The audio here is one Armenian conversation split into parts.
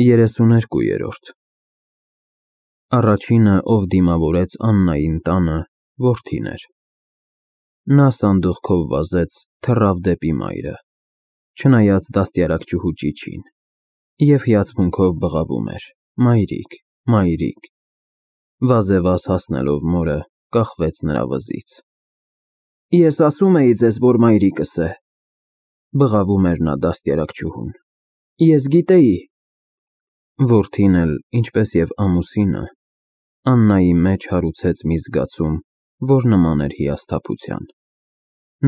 32-րդ Առաջինը, ով դիմավորեց Աննային տանը, որդին էր։ Նա սանդուղքով վազեց, թռավ դեպի մայրը, չնայած դաստիարակչուհու ճիչին, և հիացմունքով բղավում էր. «Մայրիկ, մայրիկ»։ Վազեվազ հասնելով մորը, կախվեց նրա վզից։ «Ես ասում էի ձեզ, որ մայրիկս է», բղավում էր նա դաստիարակչուհուն։ «Ես գիտեի»։ Որդին էլ, ինչպես և ամուսինը, Աննայի մեջ հարուցեց մի զգացում, որ նման էր հիասթափության։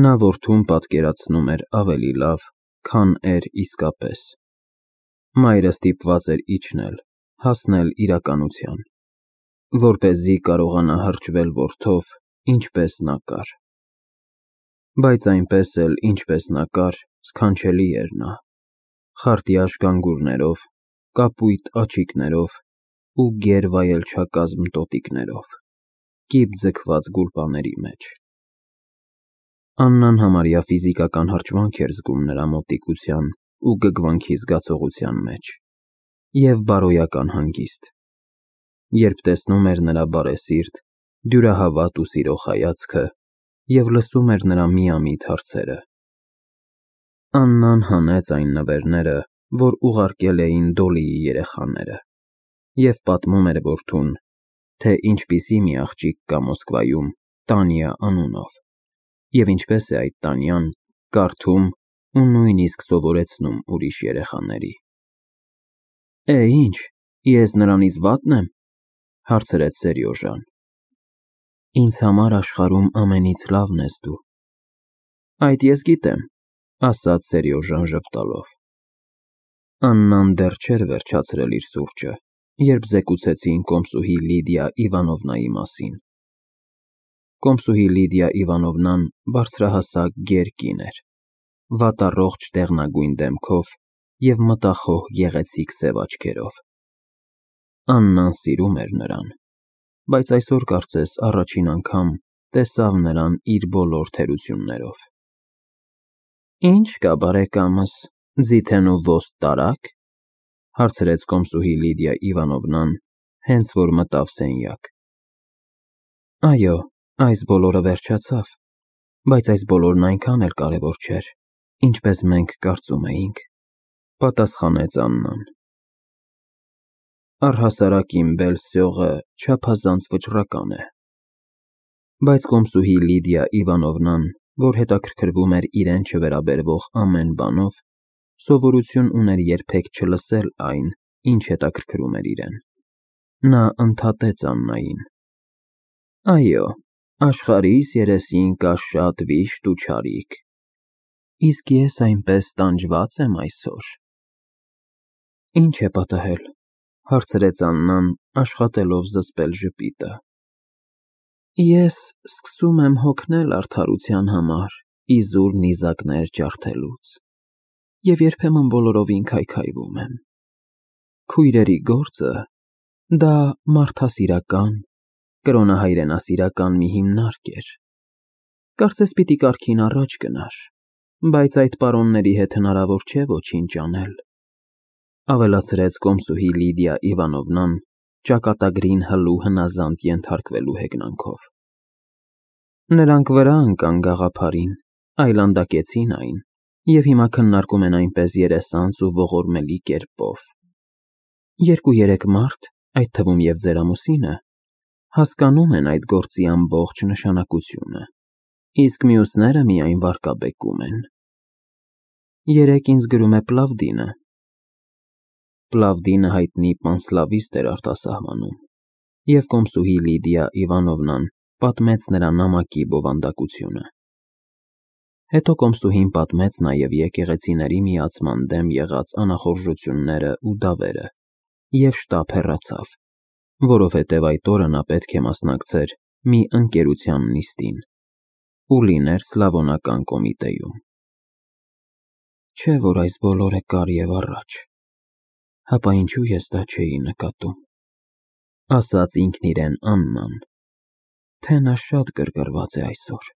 Նա որդուն պատկերացնում էր ավելի լավ, քան էր իսկապես։ Մայրը ստիպված էր իջնել, հասնել իրականության, որպեսզի կարողանա հրճվել որդով, ինչպես նա կար։ Բայց այնպես էլ, ինչպես նա կար, սքանչելի էր նա, խարտյաշ գանգուրներով, կապույտ աչիկներով ու գեր վայելչակազմ տոտիկներով, կիպ ձգված գուլպաների մեջ։ Աննան համարյա ֆիզիկական հրճվանք էր զգում նրա մոտիկության ու գգվանքի զգացողության մեջ և բարոյական հանգիստ, երբ տեսնում էր նրա բարեսիրտ, դյուրահավատ ու սիրող հայացքը և լսում էր նրա միամիտ հարցերը։ Աննան հանեց այն նվերները, որ ուղարկել էին Դոլիի երեխաները, և պատմում էր որդուն, թե ինչպիսի մի աղջիկ կա Մոսկվայում Տանյա անունով, և ինչպես է այդ Տանյան կարդում ու նույնիսկ սովորեցնում ուրիշ երեխաների։ Ինչ, ես նրանից վատն եմ, հարցրեց Սերյոժան։ Ինձ համար աշխարհում ամենից լավն ես դու։ Այդ ես գիտեմ, ասաց Սերյոժան ժպտալով։ Աննան դեռ չէր վերջացրել իր սուրճը, երբ զեկուցեցին կոմսուհի Լիդիա Իվանովնայի մասին։ Կոմսուհի Լիդիա Իվանովնան բարձրահասակ գեր կին էր, վատառողջ դեղնագույն դեմքով և մտախոհ գեղեցիկ սև աչքերով։ Աննան սիրում էր նրան, բայց այսօր կարծես առաջին անգամ տեսավ նրան իր բոլոր թերություններով։ Ինչ կա, բարեկամս, ձիթեն ու ոստ տարա՞ք, հարցրեց կոմսուհի Լիդիա Իվանովնան, հենց որ մտավ սենյակ։ Այո, այս բոլորը վերջացավ, բայց այս բոլորն այնքան էլ կարևոր չէր, ինչպես մենք կարծում էինք, պատասխանեց Աննան։ Առհասարակ իմ բել-սյողը չափազանց վճռական է։ Բայց կոմսուհի Լիդիա Իվանովնան, որ հետաքրքրվում էր իրեն չվերաբերվող ամեն բանով, սովորություն ուներ երբեք չլսել այն, ինչ հետաքրքրում էր իրեն։ Նա ընդհատեց Աննային. Այո, աշխարհիս երեսին կա շատ վիշտ ու չարիք, իսկ ես այնպես տանջված եմ այսօր։ Ինչ է պատահել, հարցրեց Աննան, աշխատելով զսպել ժպիտը։ Ես սկսում եմ հոգնել արդարության համար, իզուր նիզակներ ջարդելուց, և երբեմն բոլորովին քայքայվում եմ։ Քույրերի գործը դա մարդասիրական, կրոնահայրենասիրական մի հիմնարկ էր։ Կարծես պիտի կարգին առաջ գնար, բայց այդ պարոնների հետ հնարավոր չէ ոչինչ անել, ավելացրեց կոմսուհի Լիդիա Իվանովնան, ճակատագրին հլու հնազանդ ենթարկվելու հեգնանքով։ Նրանք վրա ընկան գաղափարին, այլանդակեցին այն, և հիմա քննարկում են այնպես երեսանց ու ողորմելի կերպով։ 2-3 մարդ, այդ թվում և ձեր ամուսինը, հասկանում են այդ գործի ամբողջ նշանակությունը, իսկ մյուսները միայն վարկաբեկում են։ Երեկ ինձ գրում է Պլավդինը։ Պլավդինը հայտնի պանսլավիստ էր արտասահմանում, և կոմսուհի Լիդիա Իվանովնան պատմեց նրա նամակի բովանդակությունը։ Հետո կոմսուհին պատմեց նաև եկեղեցիների միացման դեմ եղած անախորժությունները ու դավերը և շտապ հեռացավ, որովհետև այդ օրը նա պետք է մասնակցեր մի ընկերության նիստին ու լիներ Սլավոնական կոմիտեում։ Չէ՞ որ այս բոլորը կար և առաջ, հապա ինչու ես դա չէի նկատում, ասաց ինքն իրեն Աննան, թե նա շատ գրգռված է այսօր։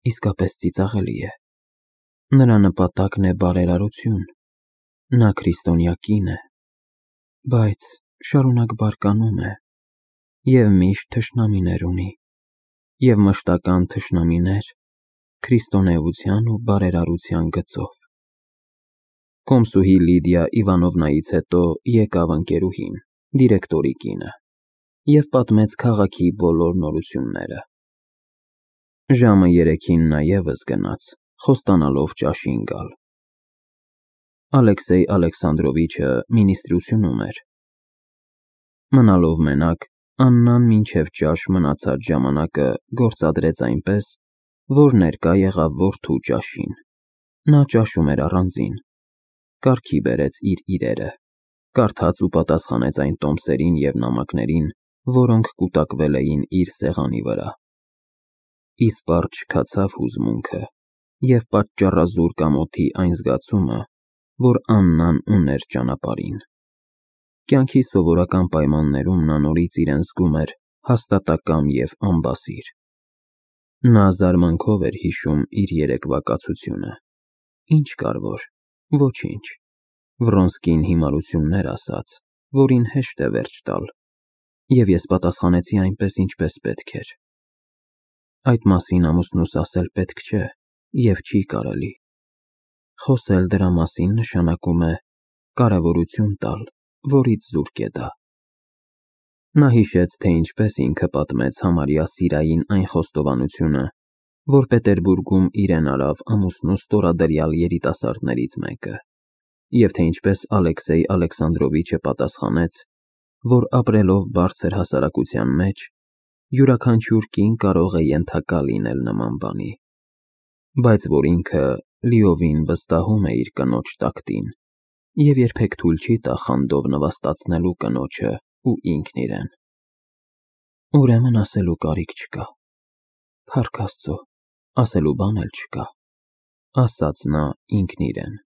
Իսկապես ծիծաղելի է։ Նրա նպատակն է բարերարություն, Նա քրիստոնյա կին է, բայց շարունակ բարկանում է և միշտ թշնամիներ ունի, և մշտական թշնամիներ քրիստոնեության ու բարերարության գծով։ Կոմսուհի Լիդիա Իվանովնայից հետո եկավ ընկերուհին, դիրեկտորի կինը, և պատմեց քաղաքի բոլոր նորությունները։ Ժամը 3-ին նա ևս գնաց, խոստանալով ճաշին գալ։ Ալեքսեյ Ալեքսանդրովիչը մինիստրությունում էր։ Մնալով մենակ, Աննան մինչև ճաշ մնացած ժամանակը գործադրեց այնպես, որ ներկա եղավ որդու ճաշին։ Նա ճաշում էր առանձին, կարգի բերեց իր իրերը, կարդաց ու պատասխանեց այն տոմսերին և նամակներին, որոնք կուտակվել էին իր սեղանի վրա։ Իսպառ չքացավ հուզմունքը և պատճառազուրկ ամոթի այն զգացումը, որ Աննան ուներ ճանապարհին։ Կյանքի սովորական պայմաններում նա նորից իրեն զգում էր հաստատակամ և անբասիր։ Նա զարմանքով էր հիշում իր երեկվա կացությունը։ Ինչ կար որ, ոչինչ։ Վռոնսկին հիմարություններ ասաց, որին հեշտ է վերջ տալ, և ես պատասխանեցի այնպես, ինչպես պետք էր։ Այդ մասին ամուսնուս ասել պետք չէ և չի կարելի։ Խոսել դրա մասին նշանակում է կարևորություն տալ, որից զուրկ է դա։ Նա հիշեց, թե ինչպես ինքը պատմեց համարյա սիրային այն խոստովանությունը, որ Պետերբուրգում իրեն արավ ամուսնու ստորադրյալ երիտասարդներից մեկը, և թե ինչպես Ալեքսեյ Ալեքսանդրովիչը պատասխանեց, որ ապրելով բարձր հասարակության մեջ, յուրաքանչյուր կին կարող է ենթակա լինել նման բանի, բայց որ ինքը լիովին վստահում է իր կնոջ տակտին և երբեք թույլ չի տա խանդով նվաստացնելու կնոջը ու ինքն իրեն։ Ուրեմն ասելու կարիք չկա։ Փառք Աստծո, ասելու բան էլ չկա, ասաց նա ինքն իրեն։